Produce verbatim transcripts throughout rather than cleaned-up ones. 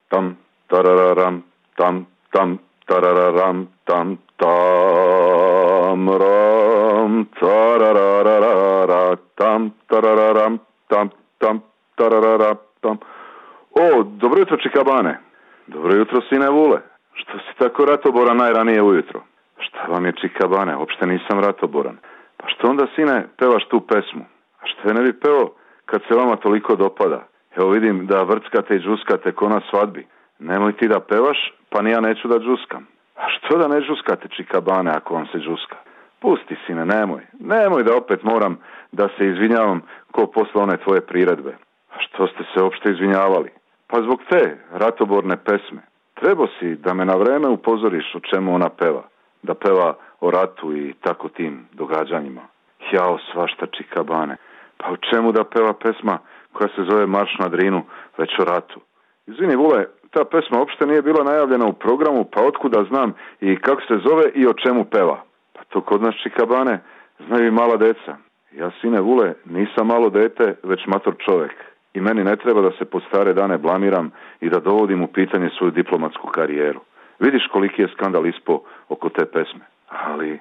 tam, tarararam, tam, tam, tarararam, tam, tam, ram, tarararara, tam, tarararam, tam, tam, tararara, tam. O, dobro jutro, čikabane. Dobro jutro, sine Vule. Što si tako ratoboran najranije ujutro? Šta vam je, čikabane? Uopšte nisam ratoboran. Pa što onda, sine, pevaš tu pesmu? A što je ne bi peo kad se vama toliko dopada? Evo vidim da vrckate i džuskate ko na svadbi. Nemoj ti da pevaš, pa ni ja neću da džuskam. A što da ne džuskate, čikabane, ako vam se džuska? Pusti, sine, nemoj. Nemoj da opet moram da se izvinjavam ko posle one tvoje priredbe. A što ste se uopšte izvinjavali? Pa zbog te ratoborne pesme. Trebao si da me na vreme upozoriš o čemu ona peva. Da peva o ratu i tako tim događanjima. Jao, svašta, čikabane. Pa o čemu da peva pesma koja se zove Marš na Drinu, već o ratu? Izvini, Vule, ta pesma uopšte nije bila najavljena u programu, pa otkuda znam i kako se zove i o čemu peva? Pa to kod nas, čikabane, znaju i mala deca. Ja, sine Vule, nisam malo dete, već mator čovek. I meni ne treba da se po stare dane blamiram i da dovodim u pitanje svoju diplomatsku karijeru. Vidiš koliki je skandal ispo oko te pesme. Ali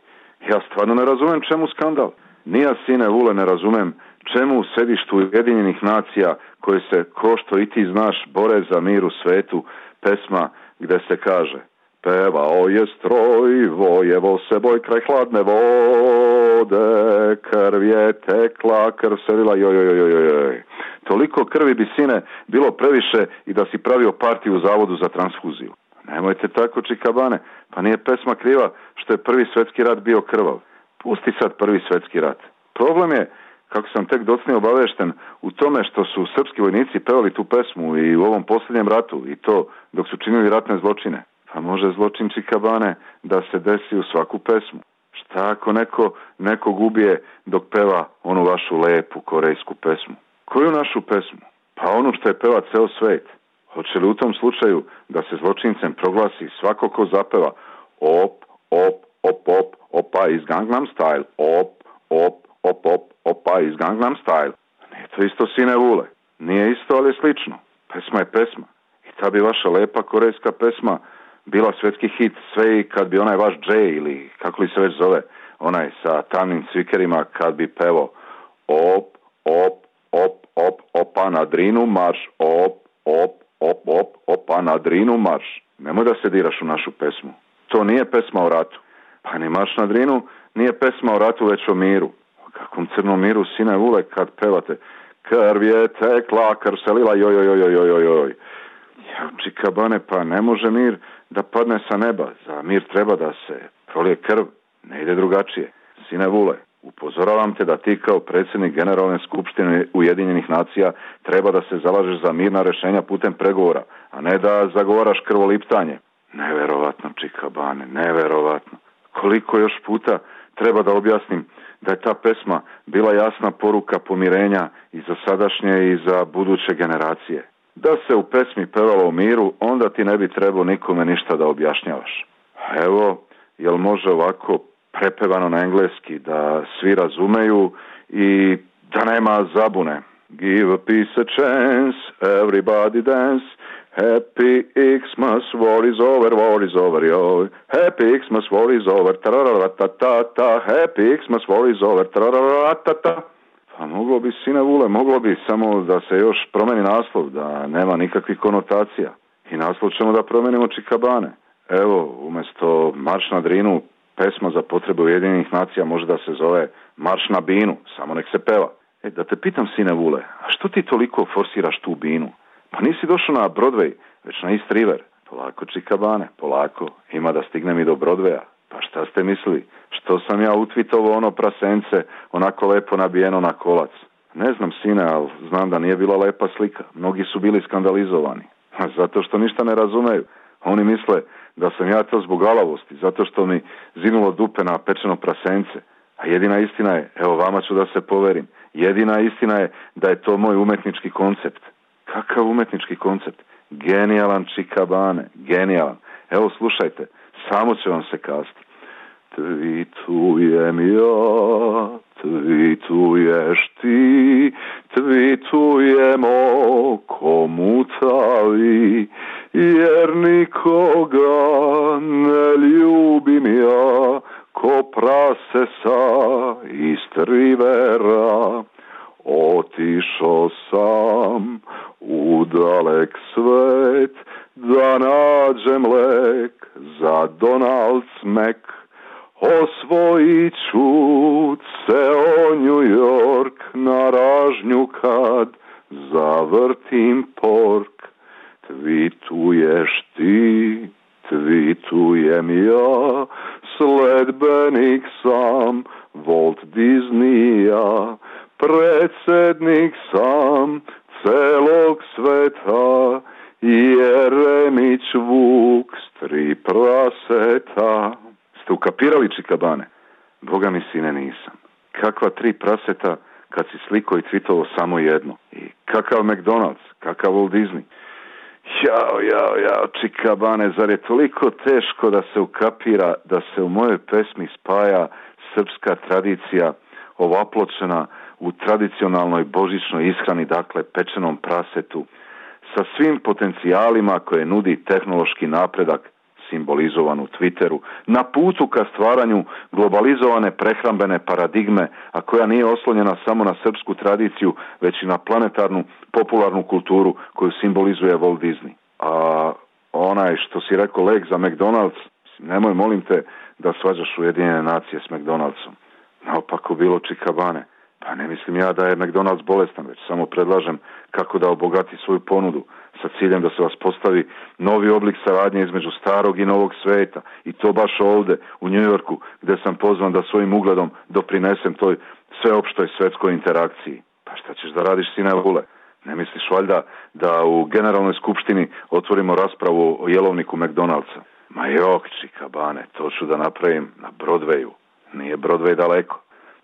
ja stvarno ne razumem čemu skandal. Ni ja, sine Vule, ne razumem čemu u sedištu Ujedinjenih nacija koje se, ko što i ti znaš, bore za mir u svetu, pesma gde se kaže: pevao je stroj, vojevo se boj kraj hladne vode, krv je tekla, krv se lila, joj, joj, joj, joj. Toliko krvi bi, sine, bilo previše i da si pravio partiju u zavodu za transfuziju. Nemojte tako, čikabane, pa nije pesma kriva što je prvi svetski rat bio krvav. Pusti sad prvi svetski rat. Problem je, kako sam tek docnije obavešten, u tome što su srpski vojnici pevali tu pesmu i u ovom posljednjem ratu, i to dok su činili ratne zločine. Pa može zločin, čikabane, da se desi u svaku pesmu. Šta ako neko nekog ubije dok peva onu vašu lepu korejsku pesmu? Koju našu pesmu? Pa onu što je peva ceo svet. Hoće li u tom slučaju da se zločincem proglasi svako ko zapeva op, op, op, op, opa iz Gangnam Style, op, op, op, op, opa iz Gangnam Style? Nije to isto, sine Vule. Nije isto, ali je slično. Pesma je pesma. I ta bi vaša lepa korejska pesma bila svetski hit sve i kad bi onaj vaš Jay, ili kako li se već zove, onaj sa tamnim cvikerima, kad bi pevao op, op, op, op, opa na Drinu marš, op, op, op, op, opa na Drinu marš. Nemoj da se diraš u našu pesmu. To nije pesma o ratu. Pa ni Marš na Drinu nije pesma o ratu, već o miru. O kakvom crnom miru, sine Vule, kad pevate krv je tekla, krv se lila, joj, joj, joj, joj, joj, joj. Ja, čikabane, pa ne može mir da padne sa neba. Za mir treba da se prolije krv. Ne ide drugačije. Sine Vule, upozoravam te da ti kao predsjednik Generalne skupštine Ujedinjenih nacija treba da se zalažeš za mirna rešenja putem pregovora, a ne da zagovaraš krvoliptanje. Neverovatno, čikabane, neverovatno. Koliko još puta treba da objasnim da je ta pesma bila jasna poruka pomirenja i za sadašnje i za buduće generacije. Da se u pesmi pevalo o miru, onda ti ne bi trebao nikome ništa da objašnjavaš. Evo, jel može ovako prepevano na engleski da svi razumeju i da nema zabune? Give a peace a chance, everybody dance, Happy Xmas, war is over, war is over, yo. Happy Xmas, war is over, ta-ra-ra-ta-ta-ta, Happy Xmas, war is over, ta-ra-ra-ta-ta. Pa moglo bi, sine Vule, moglo bi samo da se još promeni naslov, da nema nikakvih konotacija. I naslov ćemo da promenimo, čikabane. Evo, umjesto Marš na Drinu, pesma za potrebe Ujedinjenih nacija može da se zove Marš na Binu, samo nek se peva. E, da te pitam, sine Vule, a što ti toliko forsiraš tu binu? Pa nisi došao na Broadway, već na East River. Polako, čikabane, polako, ima da stignem i do Broadwaya. Pa šta ste mislili? Što sam ja utvitovao ono prasence, onako lepo nabijeno na kolac? Ne znam, sine, ali znam da nije bila lepa slika. Mnogi su bili skandalizovani. Zato što ništa ne razumeju. Oni misle da sam ja to zbog alavosti, zato što mi zinulo dupe na pečeno prasence. A jedina istina je, evo vama ću da se poverim, jedina istina je da je to moj umetnički koncept. Kakav umetnički koncept? Genijalan, čikabane, genijalan. Evo slušajte, samo će vam se kasti. Tvitujem ja, tvituješ ti, tvitujemo ko mutavi, jer nikoga ne ljubim ja, ko prase sa Istrivera. Otišao sam u dalek svet da nađem lek za Donald Smek. Osvojit ću ceo New York na ražnju kad zavrtim pork. Tvituješ ti, tvitujem ja, sledbenik sam Walt Disneya, predsjednik sam celog sveta, Jeremić Vuk s tri praseta. Ste ukapirali, čikabane? Boga mi, sine, nisam. Kakva tri praseta kad si sliko i tvitovo samo jedno? I kakav McDonald's, kakav Walt Disney? Jao, jao, jao, čikabane, zar je toliko teško da se ukapira da se u mojoj pesmi spaja srpska tradicija ovapločena u tradicionalnoj božićnoj ishrani, dakle pečenom prasetu, sa svim potencijalima koje nudi tehnološki napredak simbolizovan u Twitteru, na putu ka stvaranju globalizovane prehrambene paradigme, a koja nije oslonjena samo na srpsku tradiciju, već i na planetarnu popularnu kulturu koju simbolizuje Walt Disney. A onaj što si rekao lek za McDonald's, nemoj, molim te, da svađaš Ujedinjene nacije s McDonald'som. Naopako bilo, čikabane. Pa ne mislim ja da je McDonald's bolestan, već samo predlažem kako da obogati svoju ponudu sa ciljem da se vas postavi novi oblik saradnje između starog i novog sveta. I to baš ovde, u New Yorku, gde sam pozvan da svojim ugledom doprinesem toj sveopštoj svetskoj interakciji. Pa šta ćeš da radiš, sine Vule? Ne misliš valjda da u Generalnoj skupštini otvorimo raspravu o jelovniku McDonald'sa? Ma jok, čikabane, to ću da napravim na Broadwayu. Nije Broadway daleko.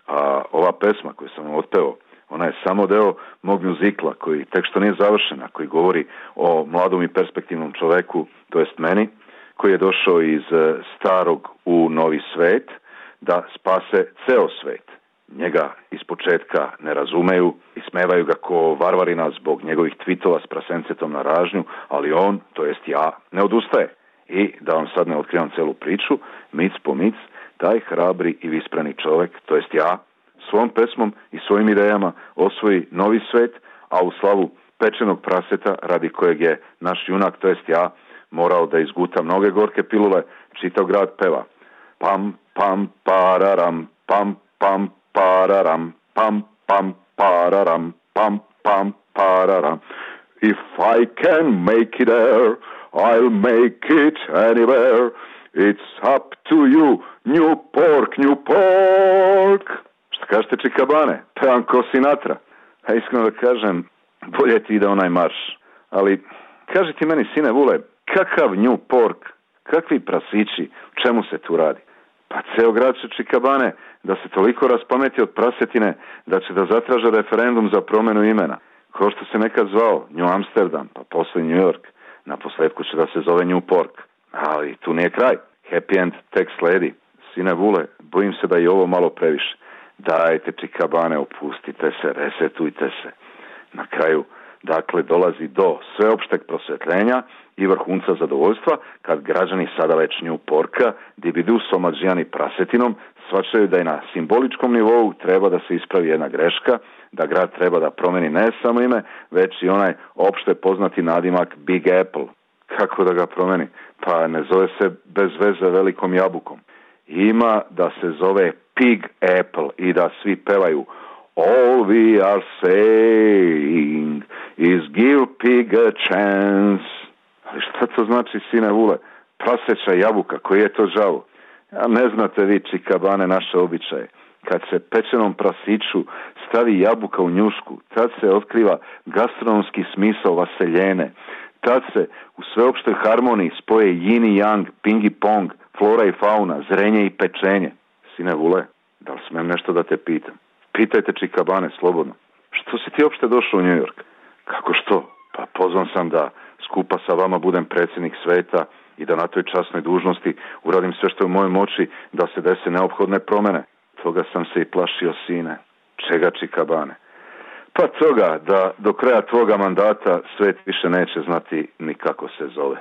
A ova pesma koju sam vam otpeo, ona je samo deo mog muzikla koji tek što nije završen, a koji govori o mladom i perspektivnom čoveku, to jest meni, koji je došao iz starog u novi svet da spase ceo svet. Njega ispočetka ne razumeju, ismevaju ga ko varvarina zbog njegovih tvitova s prasencetom na ražnju, ali on, to jest ja, ne odustaje. I da vam sad ne otkrivam celu priču, mic po mic, taj hrabri i vispreni čovek, to jest ja, svom pesmom i svojim idejama osvoji novi svet, a u slavu pečenog praseta, radi kojeg je naš junak, to jest ja, morao da izguta mnoge gorke pilule, čitav grad peva. Pam, pam, pararam, pam, pam, pararam, pam, pam, pararam, pam, pam, pararam. If I can make it there, I'll make it anywhere. It's up to you, New Pork, New Pork. Šta kažete, čikabane? Pevam ko Sinatra. A iskreno da kažem, bolje ti ide onaj marš. Ali, kaži ti meni, sine Vule, kakav New Pork, kakvi prasići, čemu se tu radi? Pa ceo grad će, čikabane, da se toliko raspameti od prasetine da će da zatraže referendum za promenu imena. Ko što se nekad zvao New Amsterdam, pa posle New York. Na posledku će da se zove New Pork. Ali tu nije kraj. Happy end tek sledi. Sine Vule, bojim se da je ovo malo previše. Dajte, čikabane, opustite se, resetujte se. Na kraju, dakle, dolazi do sveopšteg prosvetljenja i vrhunca zadovoljstva kad građani sada već New Porka, dibidu s omađijani prasetinom, shvaćaju da je na simboličkom nivou treba da se ispravi jedna greška, da grad treba da promeni ne samo ime, već i onaj opšte poznati nadimak Big Apple. Kako da ga promeni? Pa ne zove se bez veze velikom jabukom. Ima da se zove Pig Apple i da svi pevaju All we are saying is give pig a chance. Ali šta to znači, sine Vule? Praseća jabuka, koji je to žao? Ja ne znate vi, čikabane, naše običaje. Kad se pečenom prasiću stavi jabuka u njušku, tad se otkriva gastronomski smisao vaseljene. Tad se u sveopštoj harmoniji spoje yin i yang, ping i pong, flora i fauna, zrenje i pečenje. Sine Vule, da li smem nešto da te pitam? Pitajte, čikabane, slobodno. Što si ti uopšte došao u New York? Kako što? Pa pozvan sam da skupa sa vama budem predsjednik sveta i da na toj časnoj dužnosti uradim sve što je u mojoj moći da se dese neophodne promene. Toga sam se i plašio, sine. Čega, čikabane? Pa toga da do kraja tvoga mandata svet više neće znati ni kako se zove.